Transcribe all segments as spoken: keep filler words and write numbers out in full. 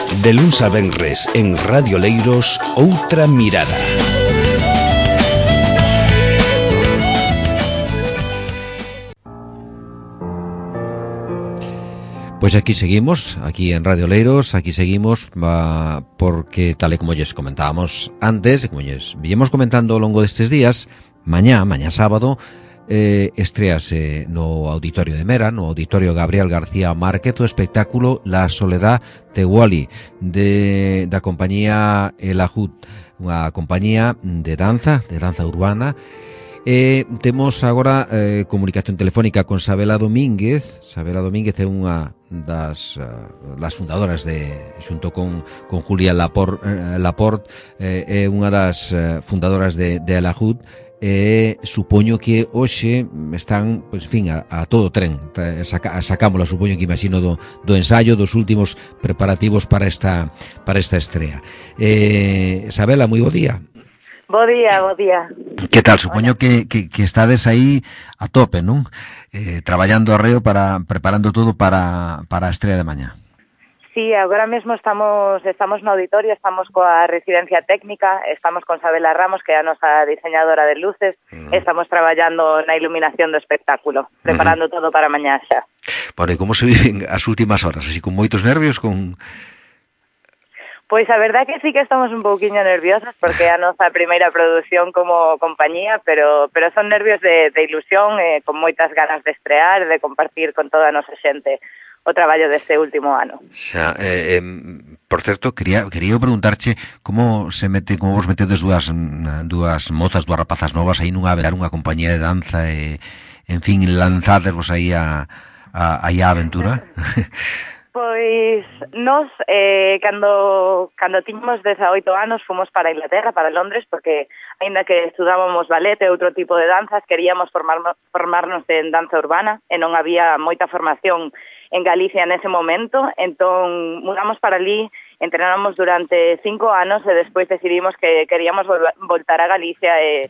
De luns a venres en Radio Leiros, Outra Mirada. Pois aquí seguimos, aquí en Radio Leiros, aquí seguimos uh, porque, tal e como lles comentábamos antes, como lles viñemos comentando ao longo destes días, mañá, mañá sábado, eh, estrease no Auditorio de Mera, no Auditorio Gabriel García Márquez, o espectáculo La Soledad de Wally, de, da compañía El Ajud, unha compañía de danza, de danza urbana. E temos agora eh, comunicación telefónica con Sabela Domínguez. Sabela Domínguez é unha das, uh, das fundadoras de, xunto con, con Julia Laport, eh, Laport eh, é unha das uh, fundadoras de, de Alajud. E supoño que hoxe están, pois, en fin, a, a todo tren. Saca, sacámola, supoño que imagino do, do ensayo, dos últimos preparativos para esta, para esta estrea. Eh, Sabela, moi bo día. Bo día, bo día. Que tal? Supoño que, que, que estades aí a tope, non? Eh, traballando arreo para, preparando todo para, para a estrela de mañá. Sí, agora mesmo estamos estamos no auditorio, estamos coa residencia técnica, estamos con Sabela Ramos, que é a nosa diseñadora de luces, uh-huh. Estamos traballando na iluminación do espectáculo, preparando uh-huh. todo para mañá xa. Bueno, e como se viven as últimas horas? Así con moitos nervios, con... Pois a verdad que sí que estamos un pouquiño nerviosas porque é a nosa primeira produción como compañía, pero pero son nervios de, de ilusión, eh, con moitas ganas de estrear, de compartir con toda a nosa xente o traballo deste último ano. Xa, eh, eh, por certo, quería quería preguntarche como se mete, como vos metedes dúas dúas mozas, dúas rapazas novas aí nunha verar unha compañía de danza e, en fin, lanzadesvos aí a a, a, a aventura. Pois nós, eh, cando, cando tiñamos dezaoito anos, fomos para Inglaterra, para Londres, porque, aínda que estudábamos ballet e outro tipo de danzas, queríamos formarnos, formarnos en danza urbana, e non había moita formación en Galicia nese momento, entón mudamos para ali, entrenamos durante cinco anos, e despois decidimos que queríamos vol- voltar a Galicia e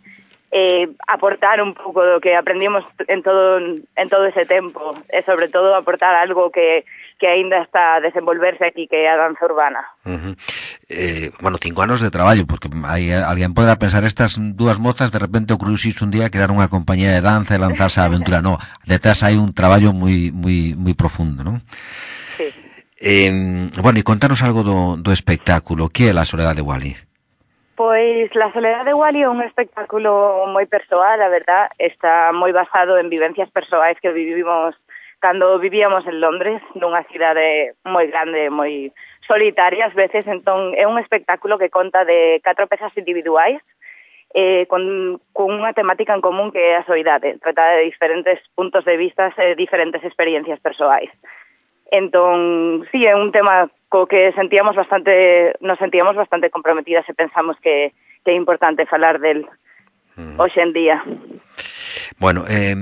eh, aportar un pouco do que aprendimos en todo en todo ese tempo, e sobre todo aportar algo que que aínda está a desenvolverse aquí, que é a danza urbana. Uh-huh. Eh, bueno, cinco anos de traballo, porque hai, alguén poderá pensar, estas dúas mozas de repente o crucis un día crear unha compañía de danza e lanzarse a aventura. No, detrás hai un traballo moi moi moi profundo, non? Sí. Eh, bueno, e contanos algo do, do espectáculo. Que é La Soledad de Wally? Pois La Soledad de Wally é un espectáculo moi persoal, a verdad, está moi basado en vivencias persoais que vivimos cando vivíamos en Londres, nunha cidade moi grande, moi solitaria ás veces, entón é un espectáculo que conta de catro pezas individuais eh, con, con unha temática en común que é a soidade, trata de diferentes puntos de vista e diferentes experiencias persoais. Entón, sí, é un tema co que sentíamos bastante, nos sentíamos bastante comprometidas e pensamos que, que é importante falar del mm. hoxe en día. Bueno, eh...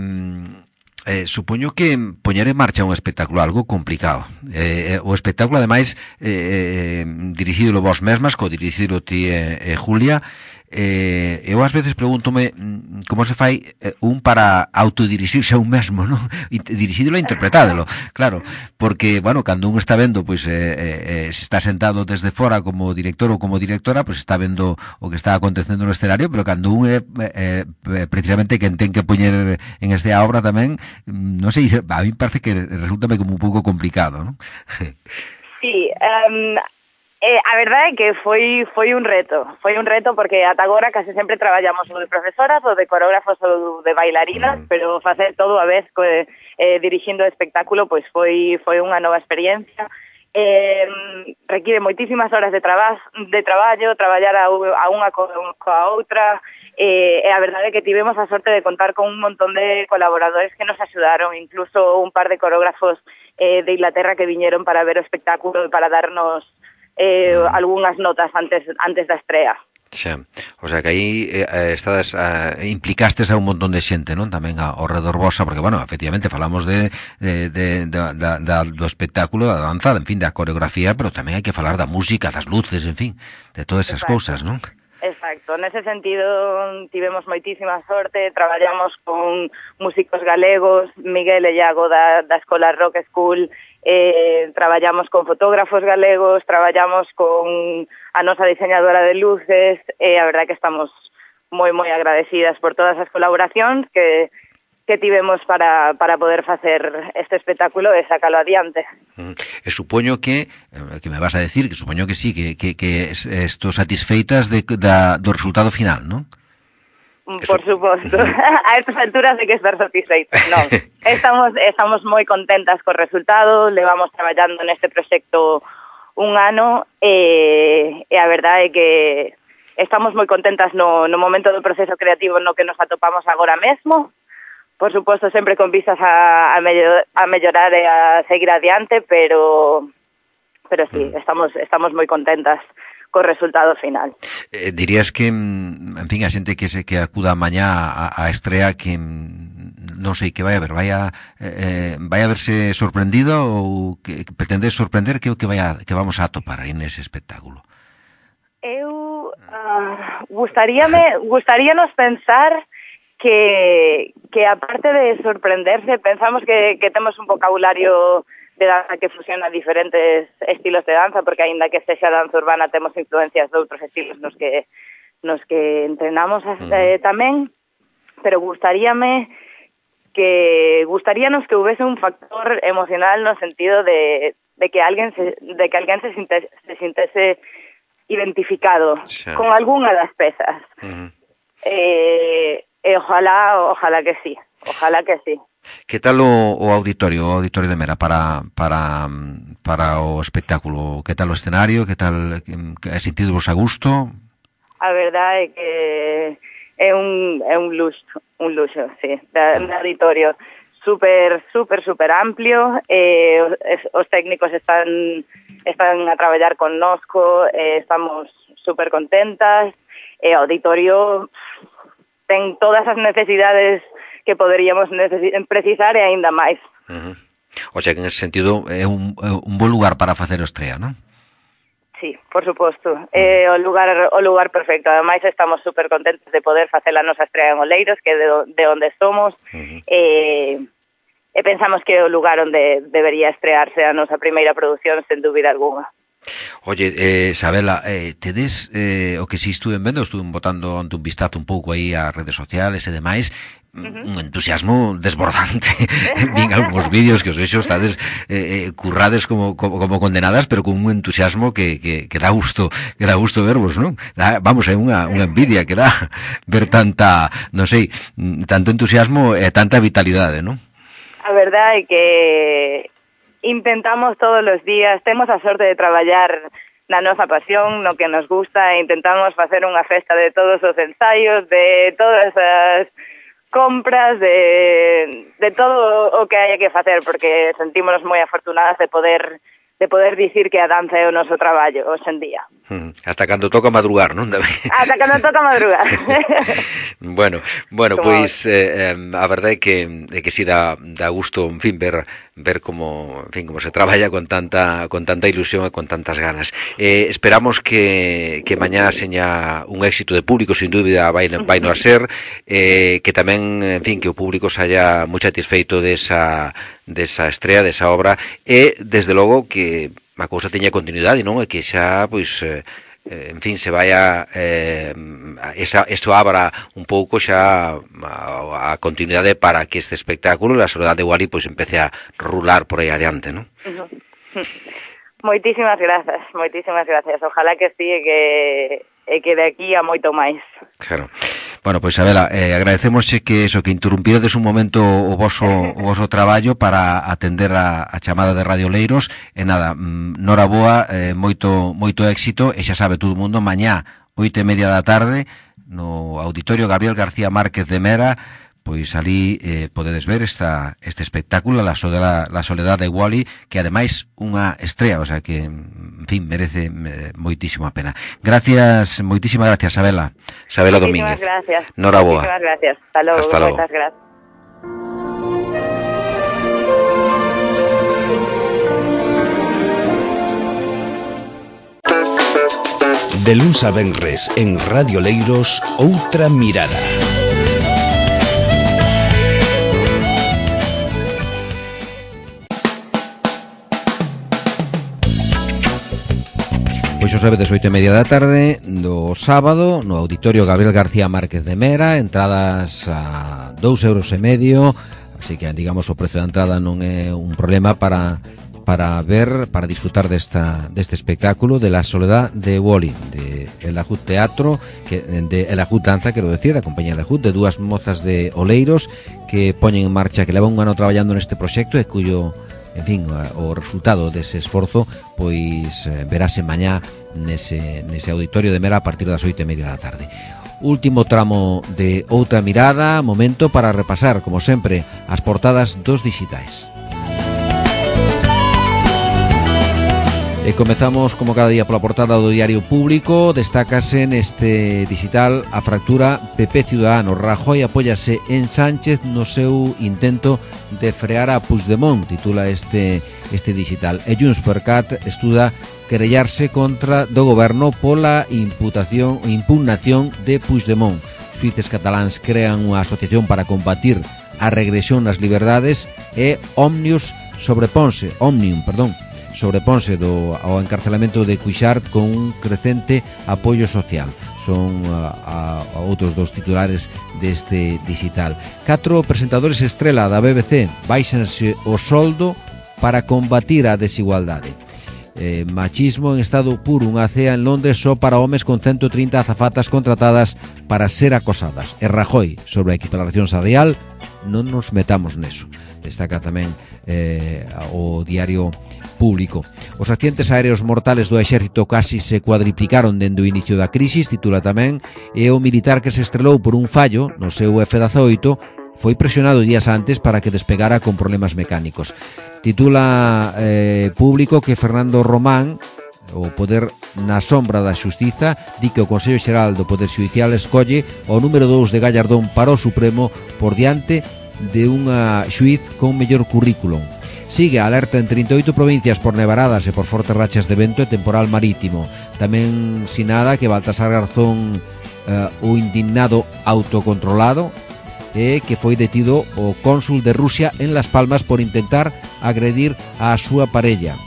Eh, supoño que poñer en marcha un espectáculo algo complicado. Eh, o espectáculo, ademais, eh, dirixídolo vos mesmas, co dirixídolo ti e eh, Julia. Eh, eu ás veces pregúntome como se fai eh, un para autodirixirse a un mesmo, non? Dirixídolo e interpretádelo, claro, porque, bueno, cando un está vendo, pois, eh, eh, se está sentado desde fora como director ou como directora, pois está vendo o que está acontecendo no escenario, pero cando un é eh, precisamente quen ten que poñer en esta obra tamén, non sei, a mí parece que resulta como un pouco complicado, non? Sí, um... Eh, a verdade é que foi foi un reto, foi un reto porque ata agora case sempre traballamos o de profesoras, o de coreógrafos ou de bailarinas, mm. pero facer todo a vez co, eh, dirixindo o espectáculo pois foi foi unha nova experiencia. Eh, requiere moitísimas horas de traba, de traballo, traballar a, a unha co, coa outra, eh, e a verdade é que tivemos a sorte de contar con un montón de colaboradores que nos axudaron, incluso un par de coreógrafos eh, de Inglaterra que viñeron para ver o espectáculo e para darnos Eh, mm. algunhas notas antes antes da estrea. Xa, o sea que aí eh, estades eh, implicastes a un montón de xente, non? Tamén ao redor vosa, porque, bueno, efectivamente falamos de, de, de, de, de, de do espectáculo, da danza, en fin, da coreografía, pero tamén hai que falar da música, das luces, en fin, de todas esas cousas, non? Exacto, nese sentido tivemos moitísima sorte, traballamos con músicos galegos, Miguel e Iago da, da Escola Rock School, eh, traballamos con fotógrafos galegos, traballamos con a nosa diseñadora de luces, e a verdade que estamos moi, moi agradecidas por todas as colaboracións que que tivemos para, para poder facer este espectáculo e sacalo adiante. Mm. E supoño que, que me vas a decir, que supoño que sí, que, que, que esto satisfeitas de, da, do resultado final, non? Por suposto. A estas alturas de que estar satisfeitos, non. Estamos, estamos moi contentas co resultado, levamos traballando neste proxecto un ano e, e a verdade é que estamos moi contentas no, no momento do proceso creativo no que nos atopamos agora mesmo. Por suposto, sempre con vistas a, a, mellor, a mellorar e a seguir adiante, pero pero sí, estamos estamos moi contentas co resultado final. Eh, dirías que, en fin, a xente que se que acuda mañá a, a estrea que non sei que vai a ver, vai a eh, vai a verse sorprendido ou que, que pretende sorprender que o que vai a, que vamos a atopar aí nese espectáculo. Eu uh, gustaríame gustaríanos pensar que, que aparte de sorprenderse, pensamos que, que temos un vocabulario de danza que fusiona diferentes estilos de danza, porque aínda que sexa danza urbana temos influencias de outros estilos nos que nos que entrenamos eh, tamén, pero gustaríame que gustaríanos que houvese un factor emocional no sentido de, de que alguén se, de que alguén se sintese, se sintese identificado sí. con algunha das pezas. Uh-huh. Eh, E ojalá, ojalá que sí, ojalá que sí. Que tal o, o auditorio, o auditorio de Mera para para para o espectáculo? Que tal o escenario? Que tal, que sentidvos a gusto? A verdade é que é un é un luxo, un luxo, sí, de, de auditorio super super super amplio, eh, os, os técnicos están están a traballar connosco, eh, estamos super contentas, e o auditorio ten todas as necesidades que poderíamos necesi- precisar e aínda máis. Uh-huh. O sea que en ese sentido é un, é un bo lugar para facer o estrea, non? Sí, por suposto. Uh-huh. É o lugar o lugar perfecto. Ademais estamos super contentos de poder facer a nosa estrea en Oleiros, que é de, de onde somos. Uh-huh. E, e pensamos que é o lugar onde debería estrearse a nosa primeira produción, sen dúbida alguna. Oye, eh, Sabela, eh, tedes eh, o que si estuve vendo, estuve botando ante un vistazo un pouco aí ás redes sociales e demais, uh-huh. un entusiasmo desbordante. Vin algúns vídeos que os vexo, estades eh, currades como, como, como condenadas, pero con un entusiasmo que, que, que dá gusto, que dá gusto vervos, non? Da, vamos, é unha, unha envidia que dá ver tanta, non sei, tanto entusiasmo e tanta vitalidade, non? A verdade é que intentamos todos os días, temos a sorte de traballar na nosa pasión, no que nos gusta, e intentamos facer unha festa de todos os ensaios, de todas as compras, de, de todo o que hai que facer, porque sentímonos moi afortunadas de poder de poder dicir que a danza é o noso traballo hoxe en día. Hmm, hasta cando toca madrugar, non? Hasta cando toca madrugar. bueno, bueno, como... pois eh, a verdade é que é que si dá dá gusto, en fin, ver ver como, en fin, como se traballa con tanta con tanta ilusión e con tantas ganas. Eh, esperamos que que mañá seña un éxito de público, sin dúbida vai vai no a ser, eh, que tamén, en fin, que o público se haya moi satisfeito desa desa estrea, desa obra, e desde logo que a cousa teña continuidade, non? E que xa, pois, eh, en fin, se vaya eh, esa, isto abra un pouco xa a, a continuidade para que este espectáculo, La Soledad de Wally, pois empece a rular por aí adiante, non? Uh-huh. Moitísimas grazas, moitísimas grazas. Ojalá que sí, que e que de aquí a moito máis. Claro. Bueno, pois, Sabela, eh, agradecemosche que eso, que interrumpiredes un momento o voso, o voso traballo para atender a, a chamada de Radio Leiros, e nada, mm, noraboa, eh, moito, moito éxito, e xa sabe todo o mundo, mañá, oito e media da tarde, no Auditorio Gabriel García Márquez de Mera, pois ali eh, podedes ver esta este espectáculo, La Soledad, La Soledad de Wally, que ademais unha estrea, o sea que, en fin, merece eh, moitísimo a pena. Gracias, moitísimas gracias, Sabela. Sabela Domínguez. Moitísimas gracias. Noraboa. Moitísimas gracias. Hasta logo. Hasta logo. Moitas gracias. De luns a venres en Radio Leiros, Outra Mirada. Pois o sabedes, oito e media da tarde do sábado no Auditorio Gabriel García Márquez de Mera, entradas a dous euros e medio, así que digamos o precio da entrada non é un problema para para ver, para disfrutar desta deste espectáculo de La Soledad de Wally, de El Ajut Teatro, que de El Ajut Danza, quero decir, da compañía El Ajut, de dúas mozas de Oleiros que poñen en marcha, que levan un ano traballando neste proxecto e cuyo, en fin, o resultado dese esforzo pois verase mañá nese, nese auditorio de Mera a partir das oito e media da tarde. Último tramo de Outra Mirada, momento para repasar, como sempre, as portadas dos dixitais. E comezamos, como cada día, pola portada do Diario Público. Destácase neste digital a fractura P P Ciudadanos. Rajoy apóyase en Sánchez no seu intento de frear a Puigdemont, titula este este digital. E Junts per Cat estuda querellarse contra do goberno pola imputación impugnación de Puigdemont. Xuíces cataláns crean unha asociación para combatir a regresión nas liberdades e Omnius sobreponse, Omnium, perdón, sobreponse do, ao encarcelamento de Cuixart con un crecente apoio social. Son a, a, a outros dos titulares deste digital. Catro presentadores estrela da B B C baixanse o soldo para combatir a desigualdade. Eh, machismo en estado puro, unha cea en Londres só para homes con ciento trinta azafatas contratadas para ser acosadas. E Rajoy sobre a equiparación salarial, non nos metamos neso. Destaca tamén eh, o Diario Público. Os accidentes aéreos mortales do exército casi se cuadriplicaron dende o inicio da crisis, titula tamén, e o militar que se estrelou por un fallo no seu F dezaoito foi presionado días antes para que despegara con problemas mecánicos. Titula eh, Público que Fernando Román, o poder na sombra da xustiza, di que o Consello Xeral do Poder Xudicial escolle o número dous de Gallardón para o Supremo por diante de unha xuiz con mellor currículum. Sigue a alerta en trinta e oito provincias por nevaradas e por fortes rachas de vento e temporal marítimo. Tamén sinada que Baltasar Garzón, eh, o indignado autocontrolado, e que foi detido o cónsul de Rusia en Las Palmas por intentar agredir a súa parella.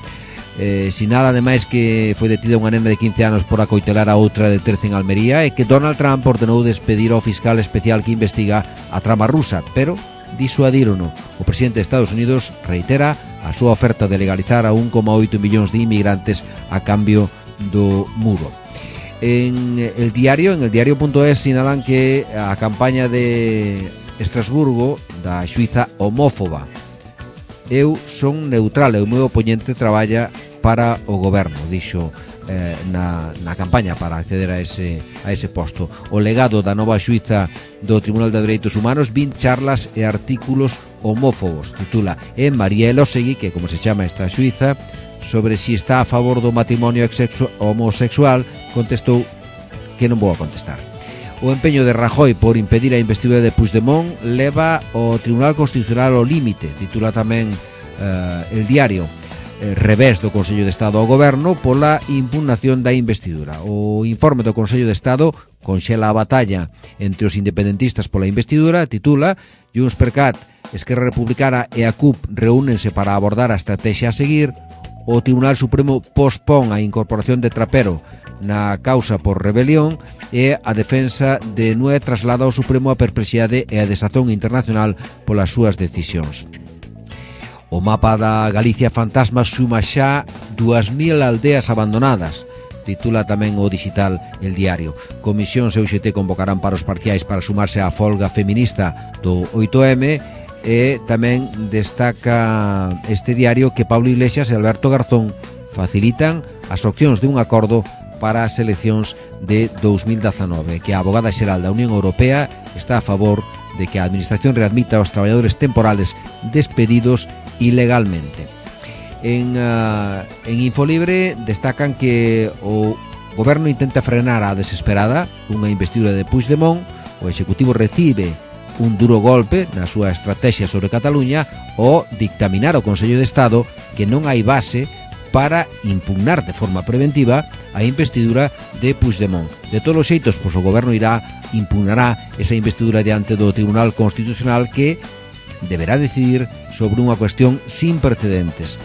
Eh, sinala ademais que foi detida unha nena de quince anos por acoitelar a outra de trece en Almería e que Donald Trump ordenou despedir ao fiscal especial que investiga a trama rusa, pero disuadírono. O presidente de Estados Unidos reitera a súa oferta de legalizar a un coma oito millóns de inmigrantes a cambio do muro. En el diario, en el diario.es sinalan que a campaña de Estrasburgo da xuíza homófoba. Eu son neutral e o meu oponente traballa para o goberno, dixo eh, na, na campaña para acceder a ese, a ese posto. O legado da nova xuíza do Tribunal de Dereitos Humanos, vinte charlas e artículos homófobos, titula. E María Elósegui, que como se chama esta xuíza, sobre si está a favor do matrimonio homosexual, contestou que non vou a contestar. O empeño de Rajoy por impedir a investidura de Puigdemont leva o Tribunal Constitucional ao límite, titula tamén eh, el diario. Eh, revés do Consello de Estado ao Goberno pola impugnación da investidura. O informe do Consello de Estado conxela a batalla entre os independentistas pola investidura, titula. Junts per Cat, Esquerra Republicana e a C U P reúnense para abordar a estrategia a seguir. O Tribunal Supremo pospón a incorporación de Trapero na causa por rebelión e a defensa de Nue traslada ao Supremo a perplexidade e a desazón internacional polas súas decisións. O mapa da Galicia fantasma suma xa dúas mil aldeas abandonadas, titula tamén o digital El Diario. Comisións e U X T convocarán paros parciais para sumarse á folga feminista do oito eme e tamén destaca este diario que Pablo Iglesias e Alberto Garzón facilitan as opcións de un acordo para as eleccións de dous mil dezanove, que a abogada xeral da Unión Europea está a favor de que a Administración readmita aos traballadores temporales despedidos ilegalmente. En, uh, en Infolibre destacan que o goberno intenta frenar a desesperada unha investidura de Puigdemont. O Executivo recibe un duro golpe na súa estrategia sobre Cataluña ao dictaminar o Consello de Estado que non hai base para impugnar de forma preventiva a investidura de Puigdemont. De todos os xeitos, pois o goberno irá impugnará esa investidura diante do Tribunal Constitucional, que deberá decidir sobre unha cuestión sin precedentes.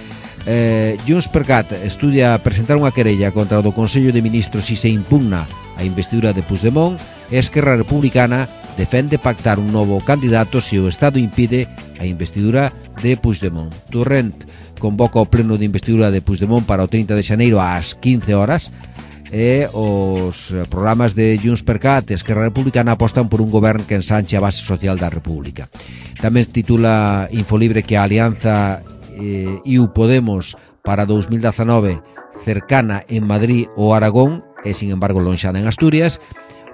eh, Junts per Cat estudia presentar unha querella contra o do Consello de Ministros se se impugna a investidura de Puigdemont e Esquerra Republicana defende pactar un novo candidato se o Estado impide a investidura de Puigdemont. Torrent convoca o pleno de investidura de Puigdemont para o trinta de xaneiro ás quince horas e os programas de Junts per Cat e Esquerra Republicana apostan por un goberno que ensanche a base social da República. Tamén titula Infolibre que a alianza eh, I U Podemos para dous mil dezanove cercana en Madrid ou Aragón e, sin embargo, lonxana en Asturias.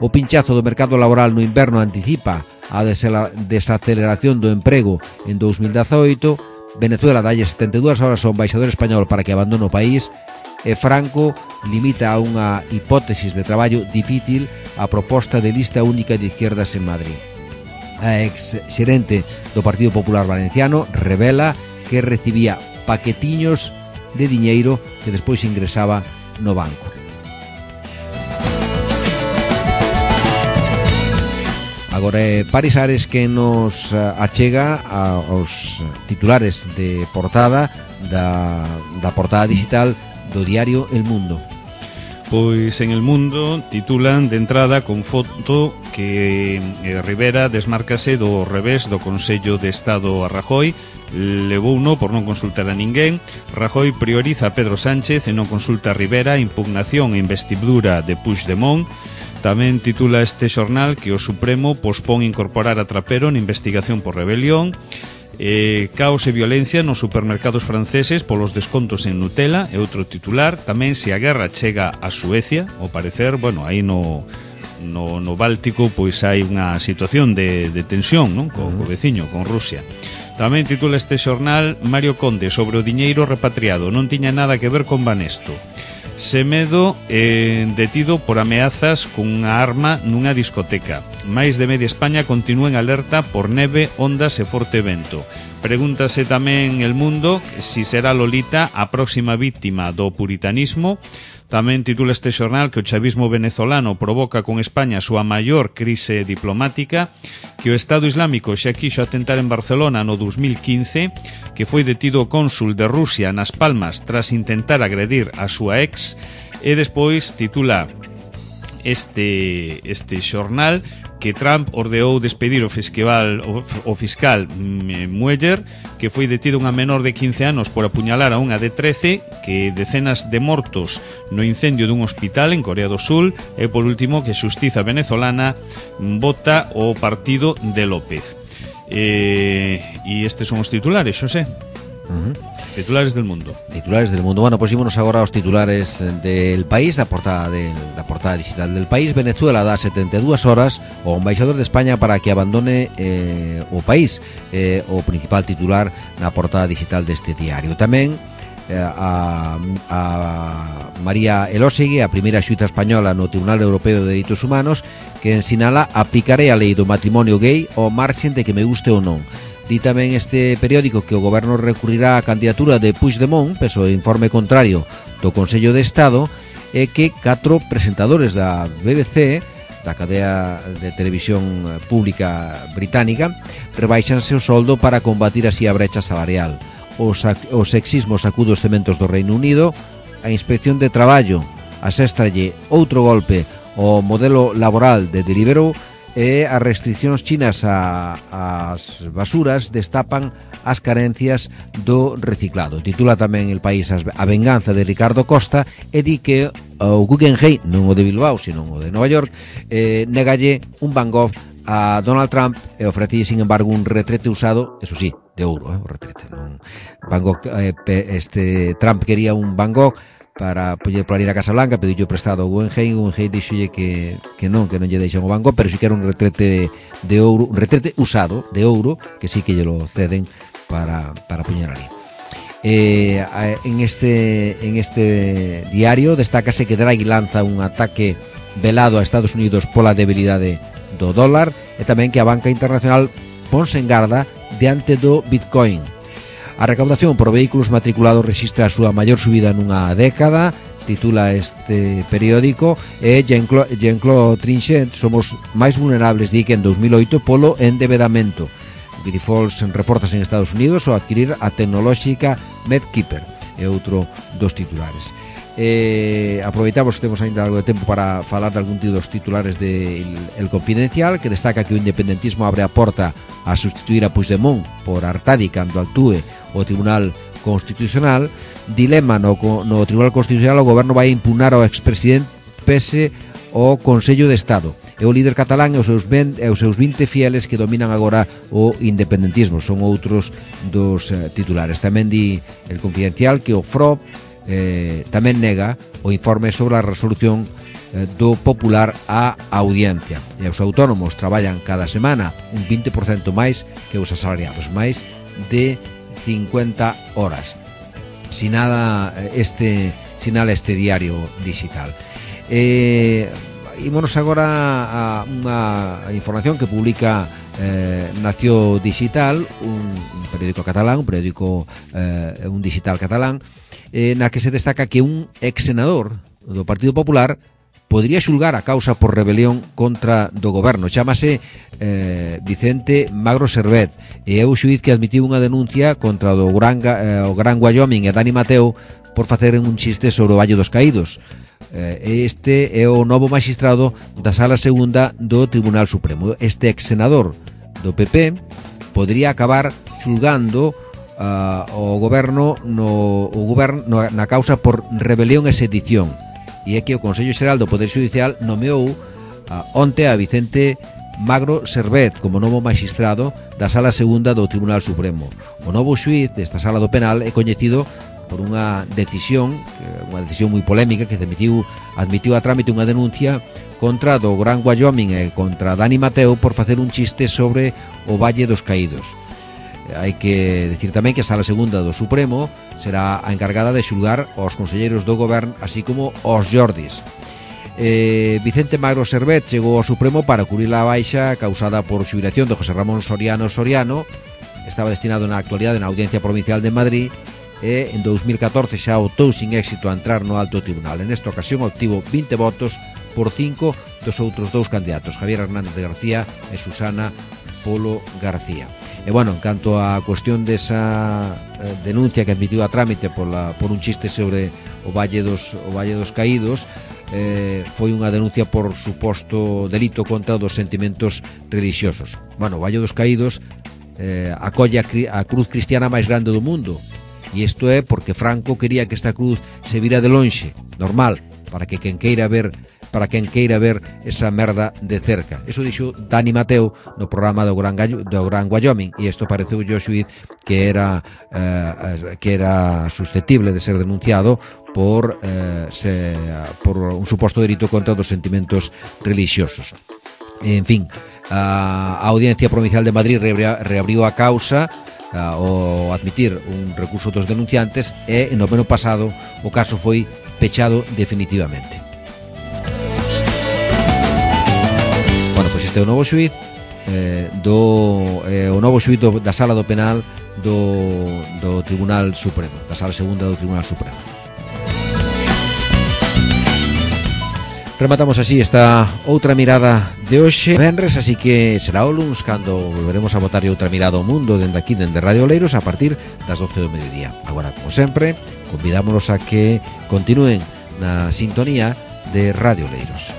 O pinchazo do mercado laboral no inverno anticipa a desaceleración do emprego en dous mil dezaoito. Venezuela dalle setenta e dúas horas ao embaixador español para que abandone o país e Franco limita a unha hipótesis de traballo difícil a proposta de lista única de izquierdas en Madrid. A ex xerente do Partido Popular Valenciano revela que recibía paquetiños de diñeiro que despois ingresaba no banco. Agora é Paris Ares que nos achega aos titulares de portada da, da portada digital do diario El Mundo. Pois en El Mundo titulan de entrada con foto que eh, Rivera desmárcase do revés do Consello de Estado a Rajoy, levou uno por non consultar a ninguén. Rajoy prioriza a Pedro Sánchez e non consulta a Rivera, impugnación e investidura de Puigdemont. Tamén titula este xornal que o Supremo pospón incorporar a Trapero na investigación por rebelión. Eh, caos e violencia nos supermercados franceses polos descontos en Nutella é outro titular. Tamén se a guerra chega a Suecia, ao parecer, bueno, aí no, no, no Báltico pois hai unha situación de, de tensión, non? Co, co veciño, con Rusia. Tamén titula este xornal Mario Conde sobre o diñeiro repatriado, non tiña nada que ver con Banesto. Semedo eh, detido por ameazas cunha arma nunha discoteca. Máis de media España continúa en alerta por neve, ondas e forte vento. Pregúntase tamén El Mundo si será Lolita a próxima víctima do puritanismo. Tamén titula este xornal que o chavismo venezolano provoca con España a súa maior crise diplomática, que o Estado Islámico xa quixo atentar en Barcelona no dos mil quince, que foi detido o cónsul de Rusia nas Palmas tras intentar agredir a súa ex, e despois titula este, este xornal que Trump ordeou despedir o fiscal, o, o fiscal Mueller, que foi detido unha menor de quince anos por apuñalar a unha de trece, que decenas de mortos no incendio dun hospital en Corea do Sul, e por último que a xustiza venezolana vota o partido de López. Eh, e estes son os titulares, Xosé. Uh-huh. Titulares del Mundo. Titulares del Mundo. Bueno, pues ímonos agora aos titulares del País, da portada del, da portada digital del País. Venezuela dá setenta e dúas horas ao embaixador de España para que abandone eh, o país, eh, o principal titular na portada digital deste diario. Tamén eh, a, a María Elósegui, a primeira xuíza española no Tribunal Europeo de Dereitos Humanos, que ensinala aplicarei a lei do matrimonio gay ao marxen de que me guste ou non. Di tamén este periódico que o goberno recurrirá á candidatura de Puigdemont, peso o informe contrario do Consello de Estado, e que catro presentadores da B B C, da cadea de televisión pública británica, rebaixanse o soldo para combatir así a brecha salarial. O, o sexismo sacude os cementos do Reino Unido, a Inspección de Traballo aséstralle outro golpe ao modelo laboral de Deliveroo, e as restriccións chinas a, as basuras destapan as carencias do reciclado. Titula tamén El País a venganza de Ricardo Costa e di que o Guggenheim, non o de Bilbao, sino o de Nova York, eh, negalle un Van Gogh a Donald Trump e ofrece, sin embargo, un retrete usado, eso sí, de ouro, eh, o retrete, non Van Gogh, eh, este Trump quería un Van Gogh para poder ir a Casa Blanca, pediu prestado ao Guggenheim, o Guggenheim dixolle que, que non, que non lle deixan o Van Gogh, pero si que era un retrete de ouro, un retrete usado de ouro, que sí que lle lo ceden para, para poñer ali. Eh, en este en este diario destácase que Draghi lanza un ataque velado a Estados Unidos pola debilidade do dólar, e tamén que a banca internacional ponse en garda diante do Bitcoin. A recaudación por vehículos matriculados rexistra a súa maior subida nunha década, titula este periódico, e Jean-Claude Jean Trichet, somos máis vulnerables, di que en dos mil oito polo endebedamento. Grifols reforzas en Estados Unidos ao adquirir a tecnolóxica MedKeeper. é outro dos titulares. Eh, aproveitamos que temos ainda algo de tempo para falar de algún dos titulares de El, el Confidencial, que destaca que o independentismo abre a porta a sustituir a Puigdemont por Artadi cando actúe o Tribunal Constitucional. Dilema no, no Tribunal Constitucional, o goberno vai impugnar ao expresidente pese ao Consello de Estado. É o líder catalán e os seus, ben, e os seus vinte fieles que dominan agora o independentismo. Son outros dos eh, titulares. Tamén di El Confidencial que o F R O eh, tamén nega o informe sobre a resolución eh, do popular á audiencia. E os autónomos traballan cada semana un vinte por cento máis que os asalariados, máis de cincuenta horas. Sinala este, sinala este diario digital. Eh, Ímonos agora a unha información que publica eh, Nació Digital, un, un periódico catalán, un periódico eh, un digital catalán, eh, na que se destaca que un ex senador do Partido Popular podría xulgar a causa por rebelión contra do goberno. Chámase eh, Vicente Magro Servet e é o xuíz que admitiu unha denuncia contra o Gran, eh, o Gran Wyoming e Dani Mateo por facer un chiste sobre o Valle dos Caídos. Este é o novo magistrado da Sala Segunda do Tribunal Supremo. Este ex senador do P P podría acabar xulgando uh, o goberno no, o goberno na causa por rebelión e sedición, e é que o Consello Xeral do Poder Xudicial nomeou uh, onte a Vicente Magro Servet como novo magistrado da Sala Segunda do Tribunal Supremo. O novo xuíz desta Sala do Penal é coñecido por unha decisión, unha decisión moi polémica, que admitiu, admitiu a trámite unha denuncia contra do Gran Wyoming e contra Dani Mateo por facer un chiste sobre o Valle dos Caídos. Hai que decir tamén que a Sala Segunda do Supremo será a encargada de xulgar aos conselleiros do goberno, así como aos Jordis. Eh, Vicente Magro Servet chegou ao Supremo para cubrir a baixa causada por xubilación de José Ramón Soriano Soriano. Estaba destinado na actualidade na Audiencia Provincial de Madrid e en dous mil catorce xa optou sin éxito a entrar no alto tribunal. En esta ocasión obtivo vinte votos por cinco dos outros dous candidatos, Javier Hernández de García e Susana Polo García. E bueno, en canto á cuestión desa eh, denuncia que admitiu a trámite por, la, por un chiste sobre o Valle dos, o Valle dos Caídos, eh, foi unha denuncia por suposto delito contra dos sentimentos religiosos. Bueno, o Valle dos Caídos eh, acolle a, a cruz cristiana máis grande do mundo. E isto é porque Franco quería que esta cruz se vira de lonxe, normal, para que quen queira ver, para quen queira ver esa merda de cerca. Eso dixo Dani Mateo no programa do Gran, Gallo, do Gran Wyoming, e isto pareceu o xuíz que era eh, que era susceptible de ser denunciado por eh, se, por un suposto delito contra dos sentimentos religiosos. En fin, a Audiencia Provincial de Madrid reabriu a causa ao admitir un recurso dos denunciantes e no ano pasado o caso foi pechado definitivamente. Bueno, pois este é o novo xuíz eh, do eh, o novo xuíz do, da Sala do Penal do, do Tribunal Supremo, da Sala Segunda do Tribunal Supremo. Rematamos así esta outra mirada de hoxe venres, así que será o luns cando volveremos a botar outra mirada ao mundo dende aquí, dende Radio Oleiros, a partir das doce do mediodía. Agora, como sempre, convidámonos a que continúen na sintonía de Radio Oleiros.